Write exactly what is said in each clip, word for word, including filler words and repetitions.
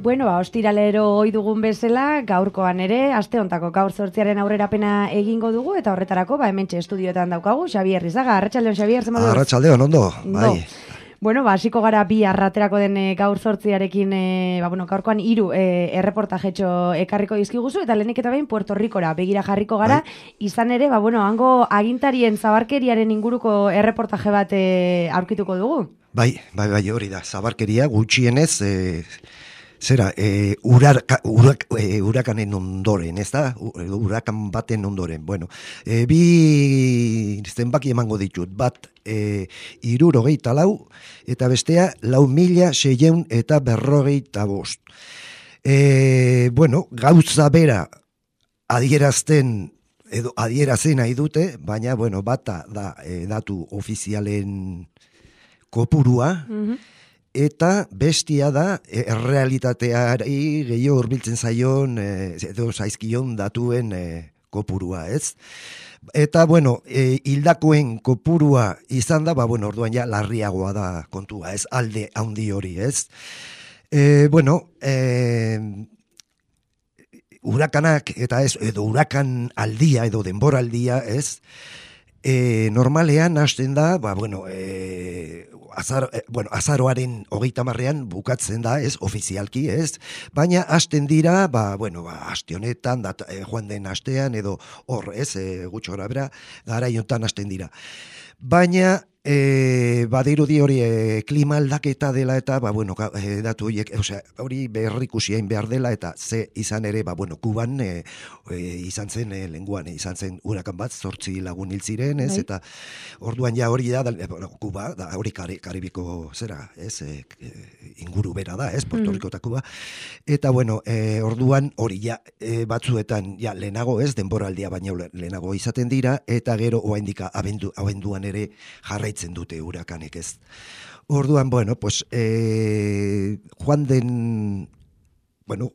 Bueno, ba, ostiralero ohi dugun bezala, gaurkoan ere, aste hontako gaur zortziaren aurrerapena egingo dugu, eta horretarako, ba, hementxe estudioetan daukagu, Xabier Rizaga. Arratsaldeon, Xabier, zer moduz? Arratsaldeon, ondo, bai. No. Bueno, ba, hasiko gara bi arraterako den e, gaur zortziarekin, e, ba, bueno, gaurkoan hiru e, erreportajetxo ekarriko dizkiguzu, eta lehenik eta behin Puerto Ricora begira jarriko gara, bai. Izan ere, ba, bueno, hango agintarien zabarkeriaren inguruko erreportaje bat e, aurkituko dugu. Bai, bai, bai, hori da, zabarkeria gutxienez, e, zera, e, uraka, urak, e, urakanen ondoren, ez da? Urakan baten ondoren. Bueno, e, bi zenbaki emango ditut, bat e, irurogeita lau, eta bestea lau mila seieun eta berrogeita bost. E, bueno, gauza bera adierazten, edo adierazen nahi dute, baina, bueno, bata da e, datu ofizialen kopurua, mm-hmm. Eta bestia da, errealitateari gehiago hurbiltzen zaion, edo zaizkion datuen e, kopurua, ez? Eta, bueno, e, hildakoen kopurua izan da, ba, bueno, orduan ja larriagoa da kontua, ez? Alde handi hori, ez? E, bueno, e, urakanak, eta ez, edo urakan aldia, edo denboraldia, ez? E, normalean hasten da, ba, bueno, e, azar, e, bueno, azaroaren hogeita marrean bukatzen da, ez, ofizialki, ez, baina hasten dira, ba, bueno, ba, aste honetan, dat, e, joan den astean, edo hor, ez, e, gutxo gara bera, gara iontan hasten dira. Baina, e, badirudi hori e, klima aldaketa dela eta, ba, bueno, e, datu horiek, osea, hori berrikusien behar dela eta ze izan ere, ba, bueno, Kuban e, e, izan zen, e, lenguan, e, izan zen urakan bat, zortzi lagun hil ziren, ez, eta orduan ja hori da, da bueno, Kuba, da, hori kari, karibiko zera, ez, e, inguru bera da, ez, Puerto Rico eta Kuba, eta, bueno, e, orduan hori ja, e, batzuetan, ja, lehenago, ez, denboraldia baina lehenago izaten dira, eta gero, oaindika, abendu, abenduan ere jarraitzen dute urakanek, ez. Orduan, bueno, pues, e, joan den, bueno,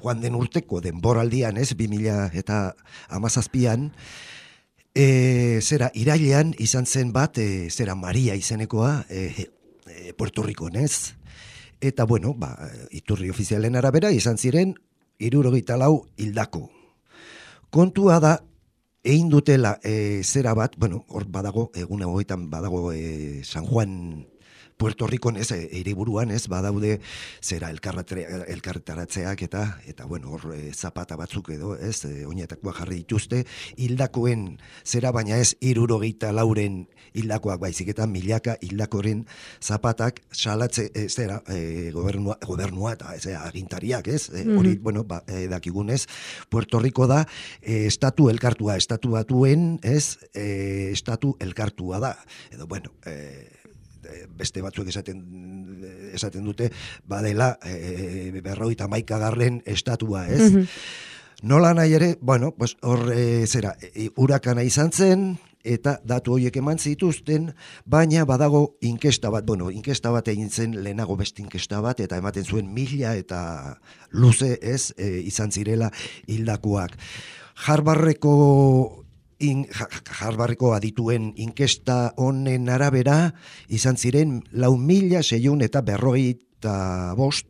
joan den urteko denboraldian, ez, bi mila eta hamazazpian, e, zera, irailean izan zen bat, e, zera, Maria izenekoa, e, e, Puerto Ricon, ez. Eta, bueno, ba, iturri ofizialen arabera, izan ziren, hirurogeita lau hildako. Kontua da, egin dutela e, zera bat, bueno, hor badago, egun egoetan badago e, San Juan, Puerto Ricon, ez, hiriburuan, ez, badaude zera elkarretaratzeak eta, eta bueno, hor e, zapata batzuk edo, ez, e, oinetakoa jarri dituzte, hildakoen zera, baina ez hirurogeita lauren hildakoak baizik eta milaka hildakoren zapatak salatze, e, zera, e, gobernua, gobernua eta ez, agintariak, ez, e, hori, mm-hmm. bueno, ba, e, dakigunez, Puerto Rico da, e, estatu elkartua, estatu batuen, ez, e, estatu elkartua da, edo, bueno, e, beste batzuek esaten esaten dute badela e, berrogeita hamaikagarren estatua, ez? Mm-hmm. Nola nahi ere, bueno, pues hor e, zera, e, urakana izan zen eta datu horiek eman zituzten, baina badago inkesta bat, bueno, inkesta bat egin zen lehenago beste inkesta bat eta ematen zuen mila eta luze, ez, e, izan zirela hildakoak. Harvardeko In, Harvardeko adituen inkesta honen arabera izan ziren lau mila seiehun eta berrogeita bost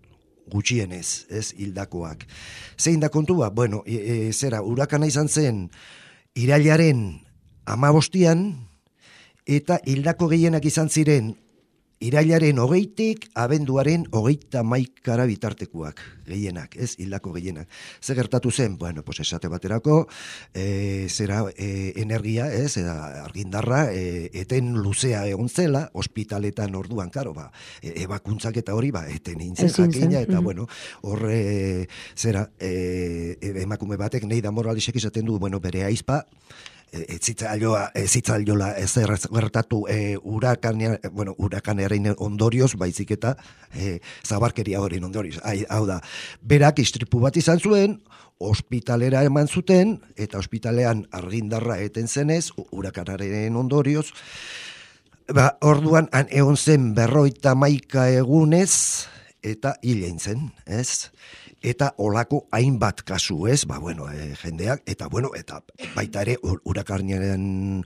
gutxienez, ez, hildakoak. Zein da kontua? Bueno, e, e, zera, urakana izan zen irailaren hamabostian eta hildako gehienak izan ziren irailaren hogeitik abenduaren hogeita hamaikara bitartekoak gehienak, ez, hildako gehienak. Ze gertatu zen, bueno, pues esate baterako, e, zera e, energia, ez, eta argindarra, e, eten luzea egon zela, ospitaletan orduan, karo, ba, e, ebakuntzak eta hori, ba, eten intzen jakina, eta, mm-hmm. bueno, horre, zera, e, emakume batek, Neida Moralesek izaten du, bueno, bere aizpa, ez zitzaioa, ez zitzaiola ezer gertatu e, urakanea, bueno, urakanearen ondorioz, baizik eta e, zabarkeria horien ondorioz. Hau da, berak istripu bat izan zuen, ospitalera eman zuten, eta ospitalean argindarra eten zenez, urakanaren ondorioz, ba, orduan, han egon zen berroita maika egunez, eta hilein zen, ez? Eta olako hainbat kasu, ez? Ba, bueno, e, jendeak, eta, bueno, eta baita ere, urakarnearen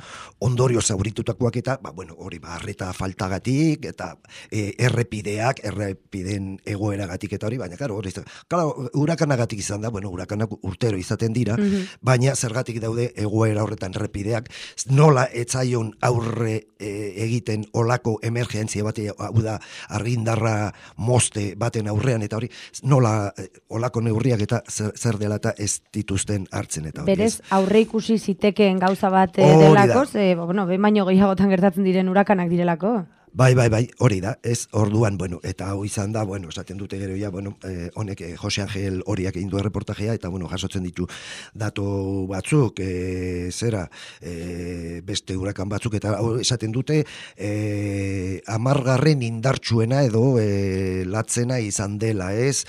ondorio zauritutakoak eta, ba, bueno, hori, ba, arreta faltagatik, eta e, errepideak, errepiden egoeragatik eta hori, baina, karo, hori, karo, urakanagatik izan da, bueno, urakanak urtero izaten dira, mm-hmm. baina zergatik daude egoera horretan errepideak, nola etzaion aurre e, egiten olako emergentzia bat, hau da, argindarra moste baten aurrean, eta hori, nola olako neurriak eta zer, zer dela eta ez dituzten hartzen eta hori. Berez, aurre ikusi zitekeen gauza bat e, delako, ze, bueno, behin baino gehiagotan gertatzen diren urakanak direlako. Bai, bai, bai, hori da, ez, orduan, bueno, eta hau izan da, bueno, esaten dute gero ja, bueno, eh, honek eh, Jose Angel horiak egin du erreportajea, eta, bueno, jasotzen ditu datu batzuk, eh, zera, eh, beste hurakan batzuk, eta hau esaten dute, eh, amargarren indartsuena edo eh, latzena izan dela, ez,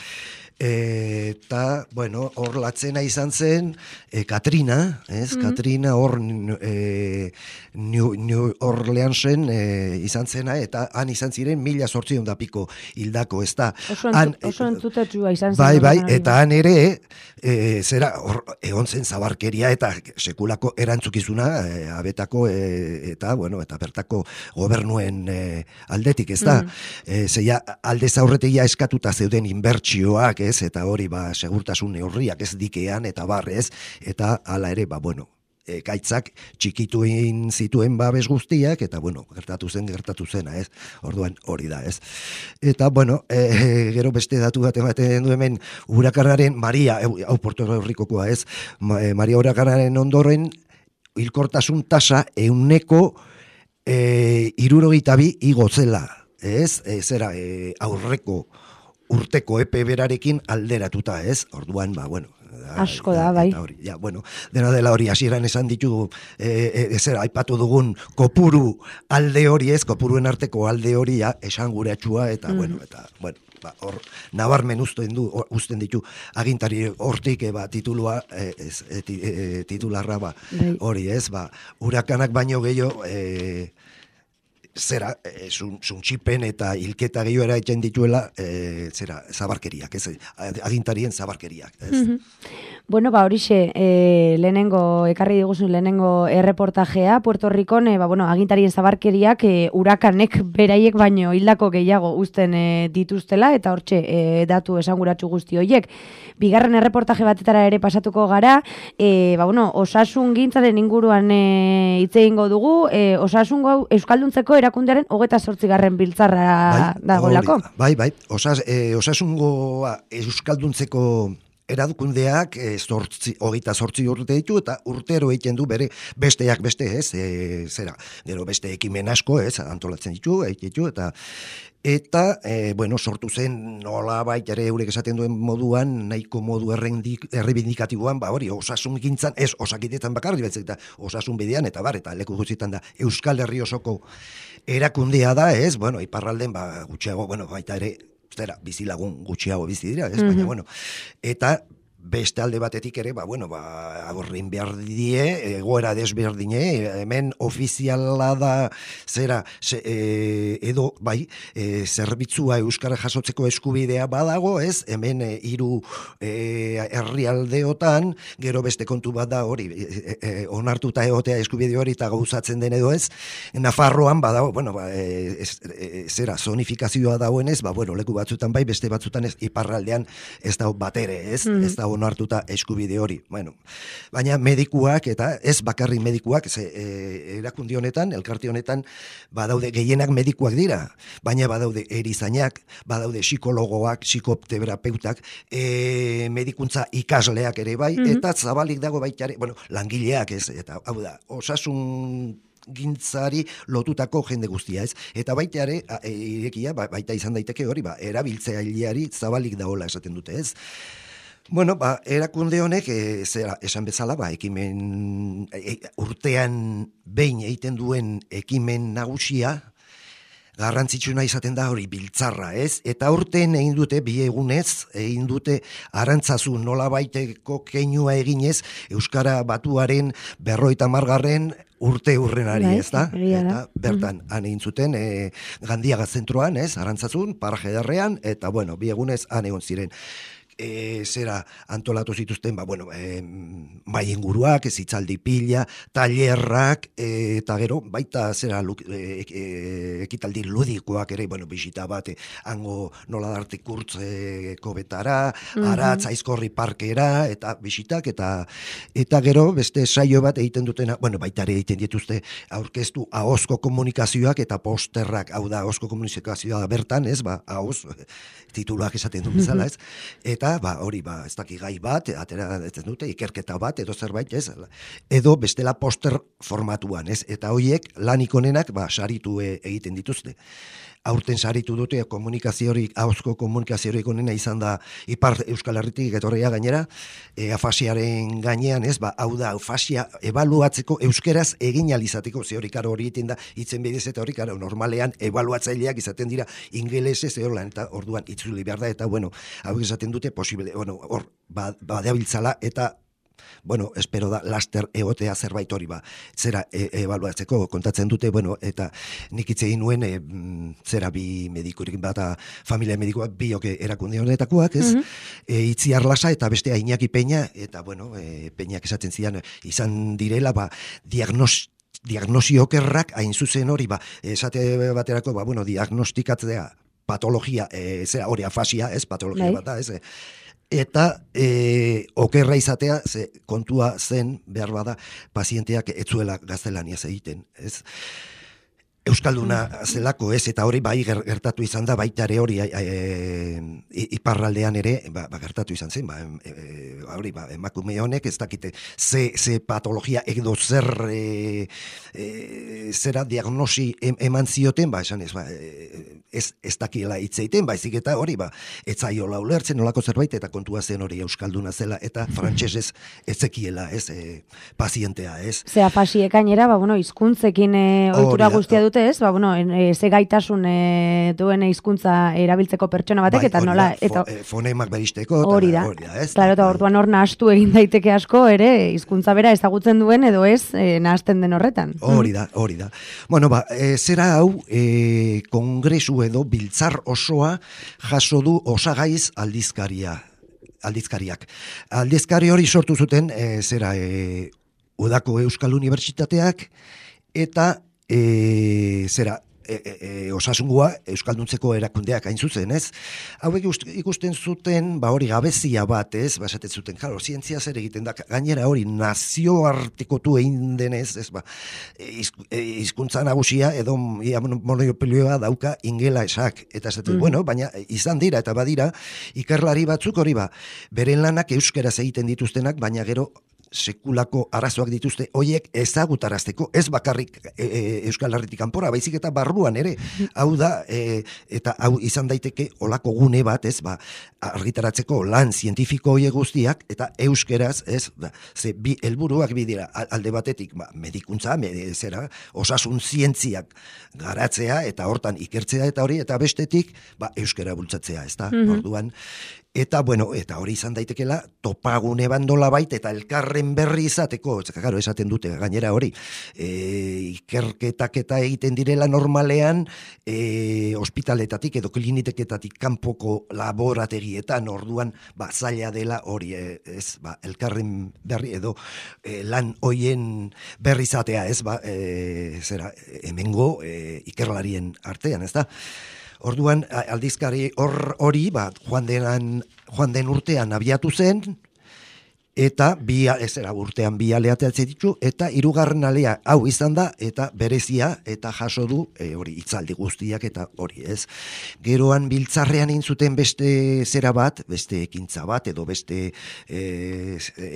eta, bueno, hor latzena izan zen, e, Katrina, ez? Mm-hmm. Katrina hor e, New, New Orleansen e, izan zena, eta han izan ziren mila zortzion da piko hildako, ez da. Oso, han, oso entzutetxua izan zen. Bai, bai, eta han ere, e, zera, hor, egon zen zabarkeria eta sekulako erantzukizuna, e, abetako, e, eta, bueno, eta bertako gobernuen e, aldetik, ez da. Mm-hmm. E, zeia, alde zaurretegia eskatuta zeuden inbertsioak, ez, eta hori, ba, segurtasun neurriak ez dikean, eta barrez, eta hala ere, ba, bueno, e, gaitzak txikituin zituen babes guztiak, eta, bueno, gertatu zen, gertatu zena, ez, orduan hori da, ez. Eta, bueno, e, gero beste datu bat ematen du hemen, urakanaren, Maria, hau Puerto Rikokoa, ez, Maria urakanaren ondoren, hilkortasun tasa euneko e, irurogeita bi igotzela, ez, e, zera, e, aurreko urteko epe berarekin alderatuta, ez? Orduan, ba, bueno, da, asko da, bai. Hori, ja, bueno, dena dela hori hasieran esan ditu, eh, ezer, aipatu dugun kopuru alde hori, ez, kopuruen arteko alde hori, ja, esan guratxua, eta, mm. bueno, eta, bueno, ba, hor, nabarmen usten du, usten ditu, agintari hortik, ba, titulua, eh, ez, eh, eh, titularra, ba, bai. Hori, ez, ba, urakanak baino gehiago, eh, zera, e, zuntxipen eta hilketa gehiago eraiten dituela, e, zera, zabarkeriak, ez, agintarien zabarkeriak, ez. Mm-hmm. Bueno, ba, horixe, e, lehenengo, ekarri diguzun lehenengo erreportajea, Puerto Rikon, e, ba, bueno, agintarien zabarkeriak e, urakanek beraiek baino hildako gehiago uzten e, dituztela, eta hortxe, e, datu esanguratsu guzti horiek. Bigarren erreportaje batetara ere pasatuko gara, e, ba, bueno, osasun gintzaren inguruan e, hitz egingo dugu, e, osasun gau euskalduntzeko erakundearen hogeta zortzigarren biltzarra bai, dagoelako. Bai, bai, Osas, e, osasungoa euskalduntzeko erakundeak e, zortzi, hogeita zortzi urte ditu, eta urtero egiten du bere besteak beste, ez, e, zera, gero beste ekimen asko, ez, antolatzen ditu, ditu, eta Eta, e, bueno, sortu zen nola baita ere eurek esaten duen moduan, nahiko modu errebindikatiboan, ba hori, osasun gintzan, ez osakitetan bakarri betzek, eta osasun bidean, eta bar, eta leku guztietan da, Euskal Herri osoko erakundea da, ez, bueno, iparralden, ba, gutxiago, bueno, baita ere, zera, bizilagun gutxiago bizi dira, ez, mm-hmm. baina, bueno, eta beste alde batetik ere, ba, bueno, ba, aborrin behar die, egoera desberdine, hemen ofiziala da, zera, se, e, edo, bai, e, zerbitzua euskara jasotzeko eskubidea badago, ez, hemen e, hiru e, herrialdeotan, gero beste kontu bat da hori, e, e, onartuta egotea eskubide hori eta gauzatzen den edo ez, Nafarroan badago, bueno, ba, e, ez, e, zera, zonifikazioa dagoenez, ba, bueno, leku batzutan bai, beste batzutan ez, iparraldean ez da batere, ez, mm. ez da onartuta eskubide hori. Bueno, baina medikuak eta ez bakarrik medikuak, ze, e, erakundi honetan, elkarte honetan, badaude gehienak medikuak dira, baina badaude erizainak, badaude psikologoak, psikoterapeutak, e, medikuntza ikasleak ere bai, mm-hmm. eta zabalik dago baita ere, bueno, langileak ez, eta hau da, osasun gintzari lotutako jende guztia, ez? Eta baita ere, irekia, baita izan daiteke hori, ba, erabiltzaileari zabalik dagoela esaten dute, ez? Bueno, ba, erakunde honek, e, zera, esan bezala, ba, ekimen, e, urtean behin egiten duen ekimen nagusia, garrantzitsuna izaten da hori biltzarra, ez? Eta urten egin dute, bi egunez, egin dute Arantzazu nolabaiteko keinua eginez, Euskara Batuaren berroita margarren urte urrenari, ez da? Eta bertan, han egin zuten, e, Gandiaga zentroan, ez? Arantzazun, paraje derrean, eta bueno, bi egunez han egon ziren. E, zera antolatu zituzten, ba, bueno, e, mai inguruak, ez hitzaldi pila, tailerrak, e, eta gero, baita zera luk, e, e, ekitaldi ludikoak ere, bueno, bisita bat, e, hango nola darte kurtzeko betara, mm-hmm. Aratz, Aizkorri parkera, eta bisitak, eta eta gero, beste saio bat egiten dutena, bueno, baita ere egiten dituzte aurkeztu ahozko komunikazioak eta posterrak, hau da, ahozko komunikazioa bertan, ez, ba, ahoz, tituluak esaten du bezala, ez, eta ba, hori, ba, ez daki gai bat, atera ez dute, ikerketa bat, edo zerbait, ez, edo bestela poster formatuan, ez, eta horiek lanik onenak, ba, saritu e, egiten dituzte. Aurten saritu dute komunikaziorik, ahozko komunikaziorik onena izan da Ipar Euskal Herritik etorria gainera, e, afasiaren gainean, ez, ba, hau da, afasia ebaluatzeko euskeraz egin alizateko, ze hori karo hori egiten da, hitzen bidez eta hori karo normalean ebaluatzaileak izaten dira ingelesez, eolan, eta orduan itzuli behar da, eta bueno, hau esaten dute posible, bueno, hor, ba, badeabiltzala, eta bueno, espero da laster egotea zerbait hori ba, zera e, ebaluatzeko kontatzen dute, bueno, eta nik hitz egin nuen, e, zera bi medikurik bata familia medikoak biok erakunde honetakoak, ez? Mm-hmm. E, Itziar Lasa eta bestea Iñaki Peña, eta bueno, e, Peñak esaten zidan, izan direla, ba, diagnos diagnosio okerrak hain zuzen hori, ba, esate baterako, ba, bueno, diagnostikatzea patologia, e, zera hori afasia, ez, patologia Lai. bat da, ez, eta e, okerra izatea, ze kontua zen behar bada pazienteak etzuela gaztelaniaz egiten, ez? Euskalduna zelako, ez, eta hori bai gertatu izan da, baita ere hori e, e, iparraldean ere, ba, ba, gertatu izan zen, ba, e, hori, ba, emakume honek ez dakite ze, ze patologia edo zer e, e, zera diagnosi em, eman zioten, ba, esan ez, ba, ez, ez dakiela hitzeiten, baizik eta hori, ba, etzaiola ulertzen nolako zerbait, eta kontua zen hori euskalduna zela, eta frantsesez etzekiela, ez, e, pazientea, ez. Ze afasiek gainera, ba, bueno, hizkuntzekin e, ohitura guztia dute, ez? Ba, bueno, e, ze gaitasun e, duen hizkuntza erabiltzeko pertsona batek, bai, eta nola... Da, eta fo, fonemak beristeko, hori da, hori da, ez? Claro, eta orduan hor nahastu egin daiteke asko, ere, hizkuntza bera ezagutzen duen, edo ez, e, nahasten den horretan. Hori da, hori da. Bueno, ba, e, zera hau, e, kongresu edo biltzar osoa jaso du Osagaiz aldizkaria, aldizkariak. Aldizkari hori sortu zuten, e, zera, e, Udako Euskal Unibertsitateak, eta E, zera, e, e, e, osasungua euskalduntzeko erakundeak hain zuzen, ez? Hauek ikusten zuten, ba hori gabezia bat, ez? Ba esaten zuten, claro, zientzia zer egiten da, gainera hori nazioartekotu egin denez, ez? Ba, hizkuntza nagusia edo ia monopolioa dauka ingelesak, eta esaten, mm. bueno, baina izan dira eta badira ikerlari batzuk hori ba, beren lanak euskeraz egiten dituztenak, baina gero sekulako arazoak dituzte, hoiek ezagutarazteko, ez bakarrik e, e, Euskal Herritik kanpora, baizik eta barruan ere, hau da, e, eta hau izan daiteke olako gune bat, ez, ba, argitaratzeko lan zientifiko hoiek guztiak, eta euskeraz, ez, ba, ze bi helburuak bi dira, alde batetik, ba, medikuntza, med, zera, osasun zientziak garatzea, eta hortan ikertzea, eta hori, eta bestetik, ba, euskera bultzatzea, ez da, mm-hmm. Orduan, eta, bueno, eta hori izan daitekela, topagune bandola baita, eta elkarren berri izateko, claro, esaten dute, gainera hori, e, ikerketak eta egiten direla normalean, e, ospitaletatik edo kliniketatik kanpoko laborategietan, orduan, ba, zaila dela hori, e, ez, ba, elkarren berri edo e, lan hoien berri izatea, ez, ba, e, zera, hemengo e, ikerlarien artean, ez da? Orduan, aldizkari hor hori, ba, joan, denan, joan den urtean abiatu zen, eta bi, ez era urtean bi aleateatzen ditu, eta hirugarren alea hau izan da, eta berezia, eta jaso du, e, hori, itzaldi guztiak, eta hori ez. Geroan biltzarrean intzuten beste zera bat, beste ekintza bat, edo beste e,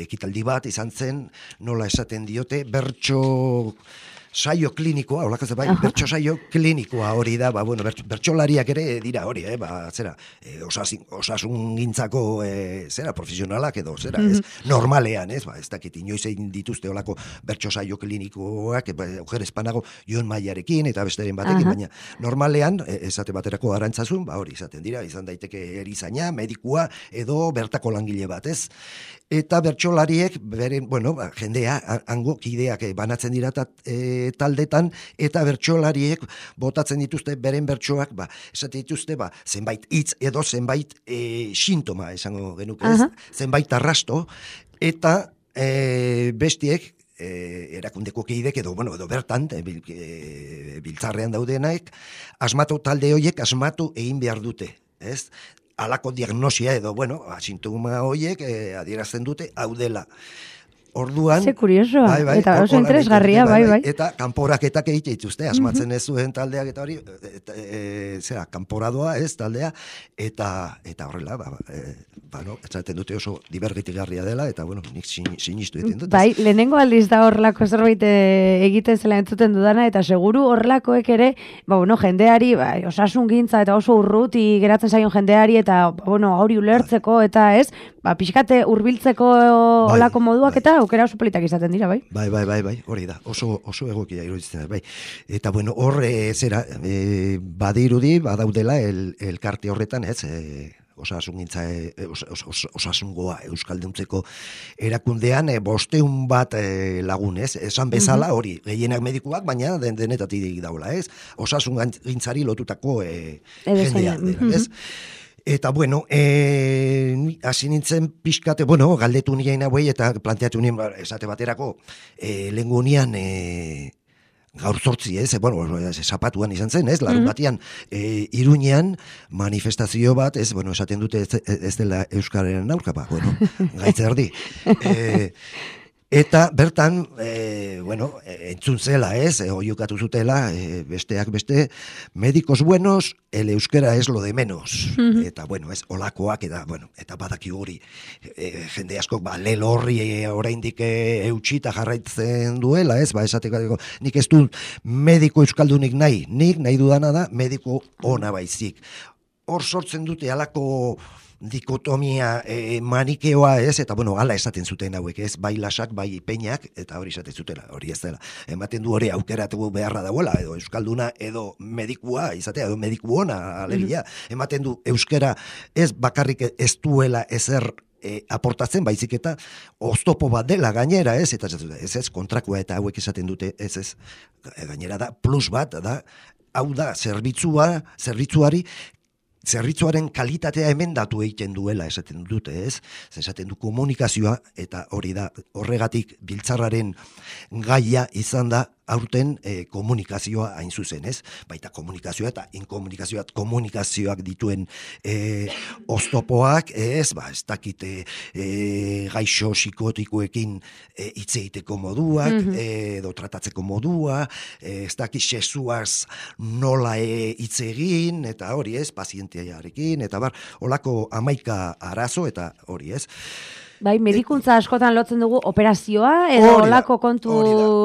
ekitaldi bat izan zen, nola esaten diote, bertso... saio klinikoa, holako bai, bertso saio klinikoa hori da, ba, bueno, bertsolariak ere dira hori, eh, ba, zera, e, osasin, osasun gintzako, e, zera, profesionalak edo, zera, ez, normalean, ez, ba, ez dakit, inoiz egin dituzte holako bertso saio klinikoak, ba, ojer espanago, Jon Maiarekin, eta besteren batekin, baina, normalean, esate baterako Arantzazun, ba, hori izaten dira, izan daiteke erizaina, medikua, edo bertako langile bat, ez, eta bertsolariek, beren, bueno, ba, jendea, hango kideak banatzen dira e, taldetan, eta bertsolariek botatzen dituzte beren bertsoak, ba, esate dituzte, ba, zenbait hitz edo zenbait e, sintoma, esango genuke, ez? Zenbait arrasto, eta e, bestiek, E, erakundeko kidek edo, bueno, edo bertan e, bil, e, biltzarrean daudenaik, asmatu talde horiek asmatu egin behar dute, ez? Halako diagnosia edo, bueno, sintoma horiek e, adierazten dute hau dela. Orduan, ze kuriosoa, bai, bai, eta oso interesgarria, bai, bai. Eta kanporaketak egite dituzte, asmatzen ez zuen taldeak eta hori, eta, e, zera, kanporadoa ez taldea, eta eta horrela, ba, e, ba, no, etzaten dute oso dibergitigarria dela, eta, bueno, nik sinistu egiten dut. Bai, lehenengo aldiz da horrelako zerbait egiten zela entzuten dudana, eta seguru horrelakoek ere, ba, bueno, jendeari, ba, osasun gintza, eta oso urruti geratzen zaion jendeari, eta, ba, bueno, hori ulertzeko, eta ez, ba, pixkate hurbiltzeko olako bai, moduak, bai. Eta aukera oso politak izaten dira, bai? Bai, bai, bai, bai, hori da, oso, oso egokia iruditzen da, bai. Eta, bueno, hor, e, zera, e, badirudi, badaudela, el, elkarte horretan, ez, e, osasungintza, e, os, os, os, osasungoa euskalduntzeko erakundean, e, bosteun bat e, lagun, ez, esan bezala, hori, gehienak medikuak, baina den, denetatik daula, ez, osasungintzari lotutako e, jendea, dela, ez. Eta, bueno, e, hasi nintzen pixkate, bueno, galdetu nien hauei eta planteatu nien, esate baterako, e, lehengu nian, e, gaur zortzi, ez, bueno, zapatuan izan zen, ez, larun batian, e, Iruñean manifestazio bat, ez, bueno, esaten dute ez, ez dela Euskararen aurka, ba, bueno, gaitzerdi. E, Eta bertan, e, bueno, entzun zela, ez, e, oiukatu zutela, e, besteak beste, medikos buenos, el euskera es lo de menos. Mm-hmm. Eta, bueno, ez, olakoak, eta, bueno, eta badaki hori, e, jende askok, ba, lelo horri e, oraindik e, eutxita jarraitzen duela, ez, ba, esateko, nik ez du mediko euskaldunik nahi, nik nahi dudana da, mediko ona baizik. Hor sortzen dute halako dikotomia e, manikeoa, ez, eta bueno, hala esaten zuten hauek, ez, bai lasak, bai peinak, eta hori esaten zutela, hori ez dela. Ematen du hori aukeratu beharra dagoela, edo euskalduna, edo medikua, izatea, edo mediku ona, alegia. Ematen du euskera ez bakarrik ez duela ezer e, aportatzen, baizik eta oztopo bat dela gainera, ez, eta ez ez, kontrakoa eta hauek esaten dute, ez ez, gainera da, plus bat, da, hau da, zerbitzua, zerbitzuari, zerbitzuaren kalitatea emendatu egiten duela esaten dute, ez? Esaten du komunikazioa, eta hori da horregatik biltzarraren gaia izan da aurten e, komunikazioa hain zuzen, ez? Baita komunikazioa eta inkomunikazioa, komunikazioak dituen e, oztopoak, ez, ba, ez dakite e, gaixo psikotikoekin e, hitz egiteko moduak, mm-hmm. e, edo tratatzeko modua, e, ez dakit sesuaz nola e, hitz egin, eta hori, ez, pazientearekin, eta bar, olako hamaika arazo, eta hori, ez? Bai, medikuntza askotan lotzen dugu operazioa, edo olako kontu,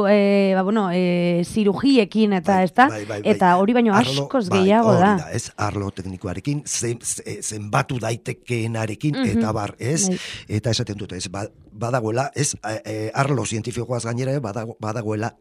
e, ba, bueno, e, zirugiekin, eta bai, ez da, bai, bai, bai. Eta hori baino arlo, askoz bai, gehiago da. da. Ez, arlo teknikoarekin, zen, zenbatu daitekeenarekin, mm-hmm. eta bar, ez, bai. Eta esaten dute, ez, badagoela, ez, e, arlo zientifikoaz gainera, badago, badagoela,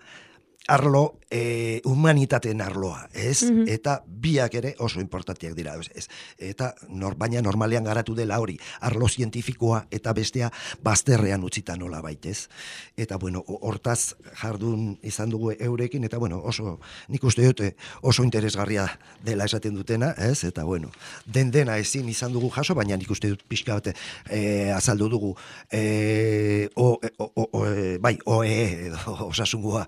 arlo e, humanitateen arloa, ez? Mm-hmm. Eta biak ere oso importanteak dira, ez? Eta nor, baina normalean garatu dela hori, arlo zientifikoa eta bestea bazterrean utzita nola baitez. Eta bueno, hortaz jardun izan dugu eurekin, eta bueno, oso, nik uste dute oso interesgarria dela esaten dutena, ez? Eta bueno, den dena ezin izan dugu jaso, baina nik uste dut pixka bate e, azaldu dugu, e, o, o, o, o, bai, oe, edo osasungoa,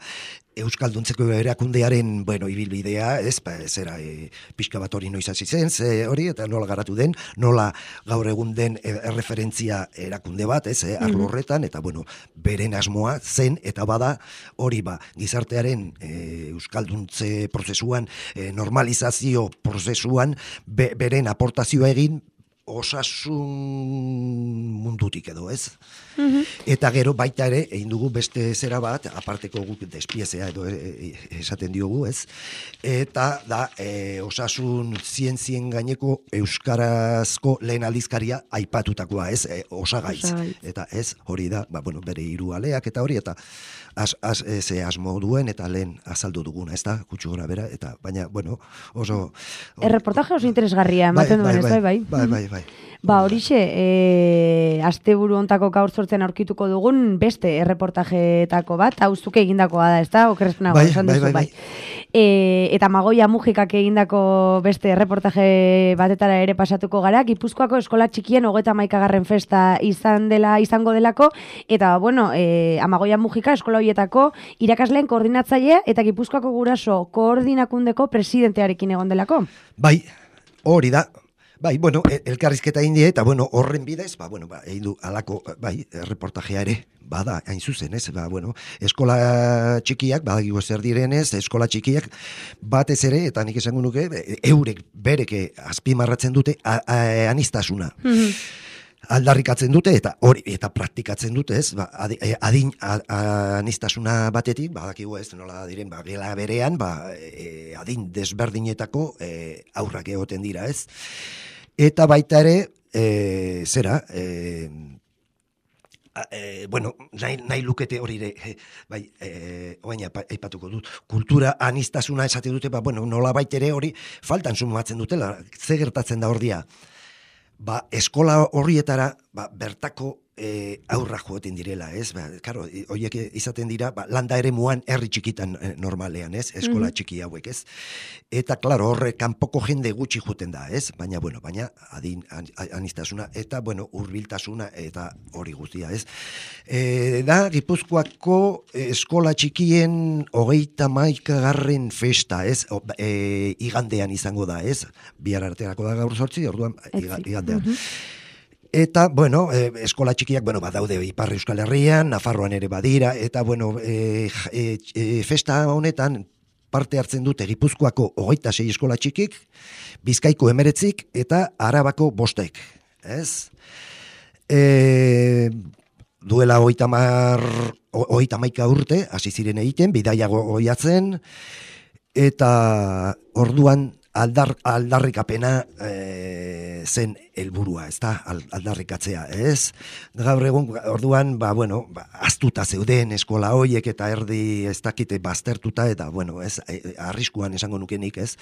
euskalduntzeko erakundearen, bueno, ibilbidea, ez, ba, zera, e, pixka bat hori noiz hasi zen, ze hori, eta nola garatu den, nola gaur egun den erreferentzia erakunde bat, ez, eh, arlo horretan, eta, bueno, beren asmoa zen, eta bada, hori ba, gizartearen e, euskalduntze prozesuan, e, normalizazio prozesuan, be, beren aportazioa egin, osasun mundutik edo, ez? Mm-hmm. Eta gero baita ere, egin dugu beste zera bat, aparteko guk despiezea edo esaten diogu, ez? Eta da, e, osasun zientzien gaineko euskarazko lehen aldizkaria aipatutakoa, ez? E, osagaiz. Osagaiz. Eta ez, hori da, ba, bueno, bere hiru aleak eta hori, eta as, as, ze asmo duen, eta lehen azaldu duguna, ez da? Kutsu gora bera, eta baina, bueno, oso... Erreportaje oso interesgarria, ematen duen, ez bai, bai? Bai, bai, bai. Ba, horixe, e, asteburu hontako gaur sortzen aurkituko dugun beste erreportajeetako bat, hauzuke egindakoa da, ez da? Okerrezpenago, bai, esan bai, duzu, bai, bai. E, eta Magoia Mujikak egindako beste erreportaje batetara ere pasatuko gara, Gipuzkoako eskola txikien hogeta hamaikagarren festa izan dela, izango delako, eta, bueno, e, Amagoia Mujika eskola horietako irakasleen koordinatzailea eta Gipuzkoako guraso koordinakundeko presidentearekin egon delako. Bai, hori da. Bai, bueno, elkarrizketa indie, eta bueno, horren bidez, ba, bueno, ba, egin du alako, bai, reportajea ere, bada, hain zuzen, ez, ba, bueno, eskola txikiak, badakigu zer direnez, eskola txikiak, batez ere, eta nik esango nuke, eurek bereke azpimarratzen dute a, a, anistasuna. Mm-hmm. Aldarrikatzen dute, eta hori, eta praktikatzen dute, ez, ba, adin, anistasuna batetik, badakigu ez, nola diren, ba, gela berean, ba, e, adin desberdinetako e, aurrak egoten dira, ez. Eta baita ere, e, zera, e, e, bueno, nahi, nahi lukete hori ere, e, bai, e, oain aipatuko dut, kultura anistasuna esate dute, ba, bueno, nola baita ere hori faltan sumatzen dutela, ze gertatzen da ordia. Ba, eskola horrietara, ba, bertako e, aurra joeten direla, ez? Ba, karo, horiek izaten dira, ba, landa ere muan herri txikitan e, normalean, ez? Eskola mm-hmm. txiki hauek, ez? Eta, klaro, horre kanpoko jende gutxi joten da, ez? Baina, bueno, baina, adin, an, anistasuna, eta, bueno, hurbiltasuna, eta hori guztia, ez? E, da, Gipuzkoako eskola txikien hogeita hamaikagarren festa, ez? O, e, igandean izango da, ez? Bihar arterako da gaur sortzi, orduan, igandean. Mm-hmm. Eta, bueno, e, eskola txikiak, bueno, badaude Ipar Euskal Herrian, Nafarroan ere badira, eta, bueno, e, e, e, festa honetan parte hartzen dute Gipuzkoako hogeita sei eskola txikik, Bizkaiko emeretzik, eta Arabako bostek, ez? E, duela hogeita mar, hogeita hamaika urte, hasi ziren egiten, bidaia goiatzen, eta orduan, Aldar, aldarrikapena e, zen helburua, ez da, aldarrikatzea, ez? Gaur egun, orduan, ba, bueno, ba, aztuta zeuden eskola hoiek eta erdi ez dakite baztertuta, eta, bueno, ez, arriskuan esango nukenik, ez?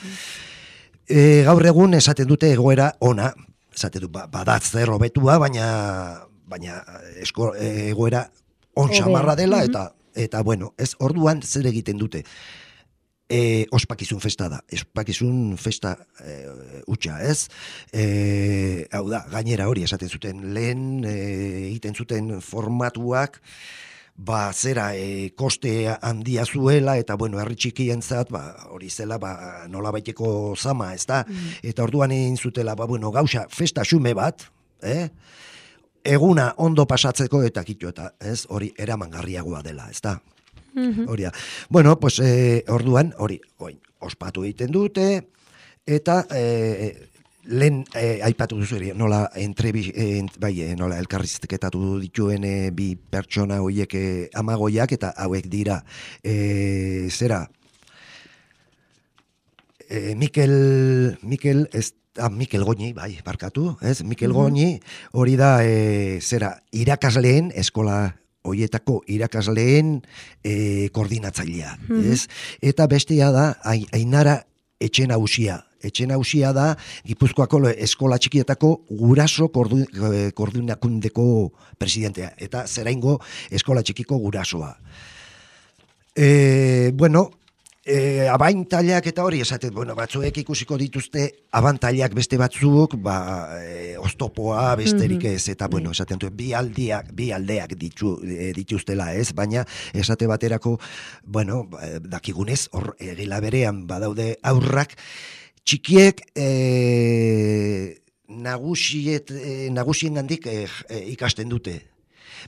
E, gaur egun esaten dute egoera ona, esaten du, ba, badatz zer hobetua, baina, baina esko, egoera on xamarra dela, eta, eta, bueno, ez, orduan zer egiten dute. E, ospakizun festa da, ospakizun festa e, utxa, ez? E, hau da, gainera hori esaten zuten lehen, e, egiten zuten formatuak, ba, zera, e, koste handia zuela, eta, bueno, herri txikientzat, ba, hori zela, ba, nola baiteko zama, ez da? Mm. Eta orduan egin zutela, ba, bueno, gauza, festa xume bat, eh? Eguna ondo pasatzeko eta kitu, eta, ez? Hori eramangarriagoa dela, ez da? Horia. Bueno, pues eh, orduan, hori, oin, ospatu egiten dute, eta eh, lehen eh, aipatu duzu ere, nola, entrebi, eh, bai, eh, nola elkarrizketatu dituen eh, bi pertsona horiek eh, amagoiak, eta hauek dira, eh, zera, eh, Mikel, Mikel, ez, ah, Mikel Goñi, bai, barkatu, ez, Mikel mm-hmm. Goñi, hori da, eh, zera, irakasleen eskola hoietako irakasleen e, koordinatzailea, mm-hmm. ez? Eta bestea da, Ainara Etxenausia. Etxenausia da, Gipuzkoako eskola txikietako guraso koordinakundeko presidentea, eta zeraingo eskola txikiko gurasoa. E, bueno, E, abantailak eta hori esaten, bueno, batzuek ikusiko dituzte abantailak beste batzuk, ba, e, oztopoa besterik ez, eta, bueno, esaten duen, bi aldiak, bi aldeak ditu, e, dituztela ez, baina esate baterako, bueno, dakigunez, hor egila berean badaude aurrak, txikiek e, nagusiet, e, nagusien gandik e, e, ikasten dute.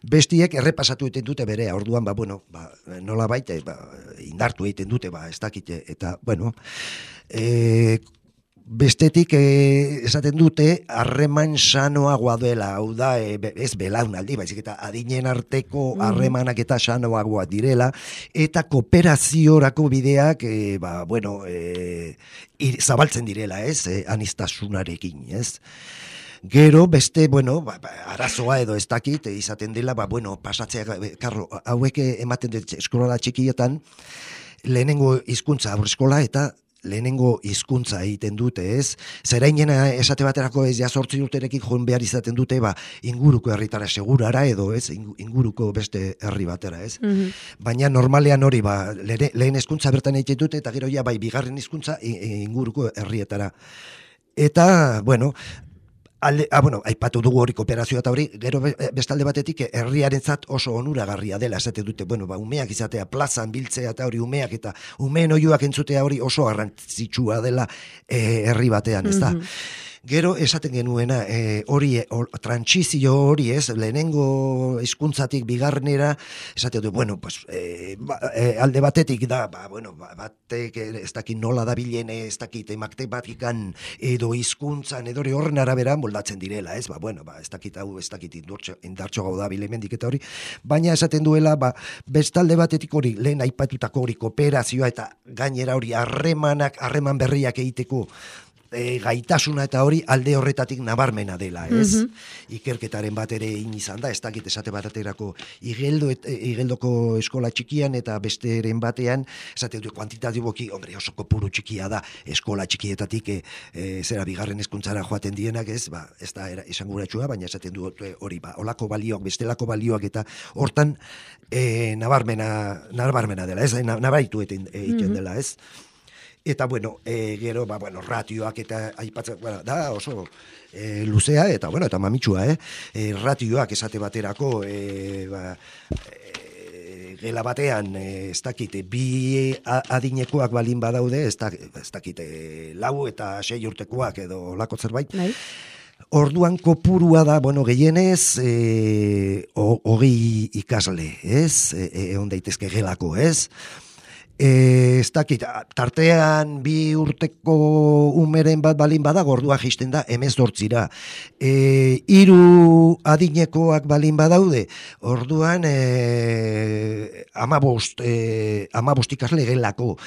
Bestiek errepasatu egiten dute berea, orduan, ba, bueno, ba, nola baita, ba, indartu egiten dute, ba, ez dakite, eta, bueno, e, bestetik e, esaten dute harreman sanoagoa dela, hau da, e, ez belaunaldi, baizik eta adinen arteko harremanak eta sanoagoa direla, eta kooperaziorako bideak, e, ba, bueno, e, ir, zabaltzen direla, ez, e, aniztasunarekin, ez. Gero, beste, bueno, ba, ba, arazoa edo ez dakit, izaten dela, ba, bueno, pasatzea, karro, hauek ematen dut eskola txikietan, lehenengo hizkuntza aurreskola eta lehenengo hizkuntza egiten dute, ez? Zerainena esate baterako ez ja zortzi urterekin joan behar izaten dute, ba, inguruko herritara segurara edo, ez? Inguruko beste herri batera, ez? Mm-hmm. Baina normalean hori, ba, lehen, lehen hizkuntza bertan egiten dute, eta gero ja, bai, bigarren hizkuntza inguruko herrietara. Eta, bueno, Alde, ah, bueno, aipatu dugu hori kooperazioa eta hori, gero bestalde batetik herriarentzat oso onuragarria dela, esate dute, bueno, ba, umeak izatea, plazan biltzea eta hori umeak eta umeen oiuak entzutea hori oso garrantzitsua dela eh, herri batean, ez da? Mm-hmm. Gero esaten genuena, e, hori, or, trantsizio hori ez, lehenengo hizkuntzatik bigarrenera, esate du, bueno, pues, e, ba, e, alde batetik da, ba, bueno, ba, batek ez dakit nola da bilene, ez dakit matematikakan edo hizkuntzan edo hori horren arabera moldatzen direla, ez, ba, bueno, ba, ez dakit hau, ez dakit indartxo gau da bilemendik eta hori, baina esaten duela, ba, bestalde batetik hori, lehen aipatutako hori kooperazioa eta gainera hori harremanak, harreman berriak egiteko, E, gaitasuna eta hori alde horretatik nabarmena dela, ez? Mm-hmm. Ikerketaren bat ere in izan da, ez dakit esate baterako igeldo et, igeldoko eskola txikian eta besteren batean, esate dut kuantitatiboki, hombre, oso kopuru txikia da, eskola txikietatik e, e, zera bigarren hezkuntzara joaten dienak, ez? Ba, ez da esanguratsua, baina esaten dut hori, ba, olako balioak, bestelako balioak eta hortan e, nabarmena, nabarmena dela, ez? Nabaritu egiten mm-hmm. dela, ez? Eta, bueno, e, gero, ba, bueno, ratioak eta aipatzen, bueno, da oso e, luzea, eta, bueno, eta mamitsua, eh? E, ratioak esate baterako, e, ba, e, gela batean, e, ez dakite, bi adinekoak balin badaude, ez dakite, lau eta sei urtekoak edo lako zerbait, Nahi. Orduan kopurua da, bueno, gehienez, e, hogei ikasle, ez? Egon daitezke gelako, ez? E, ez dakit, tartean bi urteko umeren bat balin bada, gordua jisten da, emezortzira. E, hiru adinekoak balin badaude, orduan e, amabost, e, amabost ikasle gelako.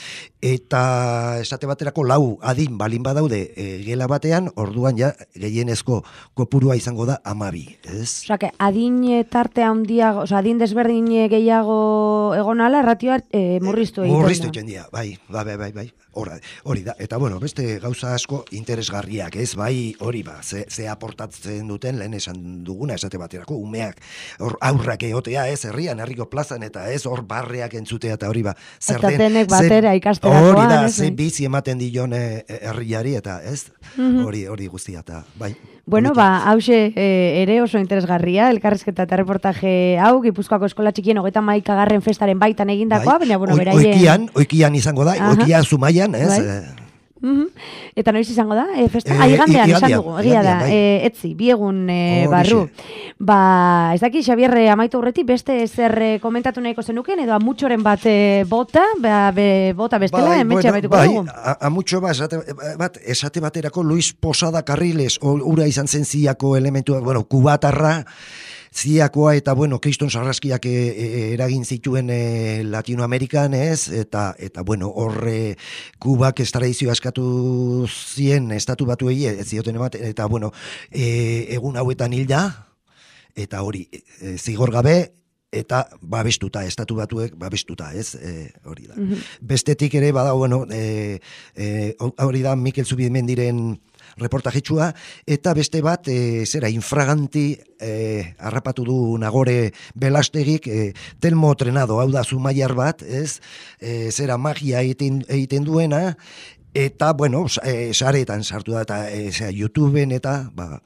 Eta esate baterako lau adin balin badaude e, gela batean, orduan ja gehienezko kopurua izango da amabi, ez? Osa, que adin tarte handiago, osa, adin desberdin gehiago egonala, ratioa e, murriztu egiten. Murriztu egiten dira, bai, bai, bai, bai, hori, hori da, eta bueno, beste gauza asko interesgarriak, ez, bai, hori ba, ze, ze aportatzen duten, lehen esan duguna, esate baterako, umeak, hor aurrak egotea, ez, herrian, herriko plazan, eta ez, hor barreak entzutea, eta hori ba, zer den, eta denek batera ikasterakoan, hori da, ze bizi ematen dion herriari, eta ez, hori, hori guztia, eta bai. Bueno, ba, hause e, ere oso interesgarria, elkarrizketa eta reportaje hau, Gipuzkoako eskola txikien hogeita hamaikagarren festaren baitan egindakoa, bai. Baina, bueno, beraien... Oikian, oikian izango da, Aha. Oikia Zumaian, ez? Bai. Mm-hmm. Eta noiz izango da? E, festa? E, ah, igandean, esan dugu, egia da, bai. e, etzi, biegun e, barru. Ba, ez daki, Xabier, amaitu horretik, beste zer komentatu nahiko zenuken, edo amutxoren bat e, bota, ba, be, bota bestela, bai, emetxe bueno, amaituko bai, dugu. Amutxo bat, esate, bat, esate baterako Luis Posada Carriles, ura izan zen ziako elementua, bueno, kubatarra, ziakoa eta, bueno, kriston sarraskiak e, e, eragin zituen e, Latinoamerikan, ez? Eta, eta bueno, horre Kubak estradizioa eskatu zien estatu batuei, ez zioten ematen, eta, bueno, e, egun hauetan hil da, eta hori, e, zigor gabe, eta babestuta, estatu batuek babestuta, ez? E, hori da. Mm-hmm. Bestetik ere, bada, bueno, e, e, hori da Mikel Zubimendiren reportajitsua, eta beste bat, e, zera, infraganti e, harrapatu du Nagore Belastegik, e, Telmo Trenado, hau da Zumaiar bat, ez? E, zera, magia egiten, egiten duena, eta, bueno, e, saretan sartu da, eta e, zera, YouTubeen, eta, ba,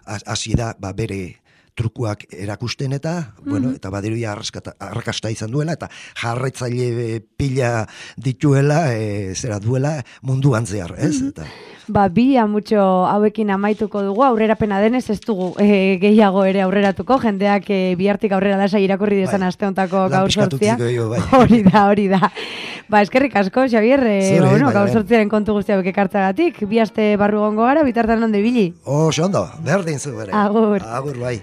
hasi da, ba, bere trukuak erakusten eta, mm-hmm. bueno, eta baderuia arrakasta izan duela, eta jarraitzaile pila dituela, e, zera duela munduan zehar, ez? Mm-hmm. Eta... Ba, bi amutxo hauekin amaituko dugu, aurrerapena denez ez dugu e, gehiago ere aurreratuko, jendeak e, bihartik aurrera lasa irakurri dezan bai. Aste hontako gaur sortzia. Bai. Hori da, hori da. Ba, eskerrik asko, Xabier, e, Zure, ba, bueno, bai, gaur bai. sortziaren kontu guztia beke kartzagatik, bi aste barru gongo gara, bitartan ondo ibili. Oso ondo, berdin zu bere. Agur. Agur, bai.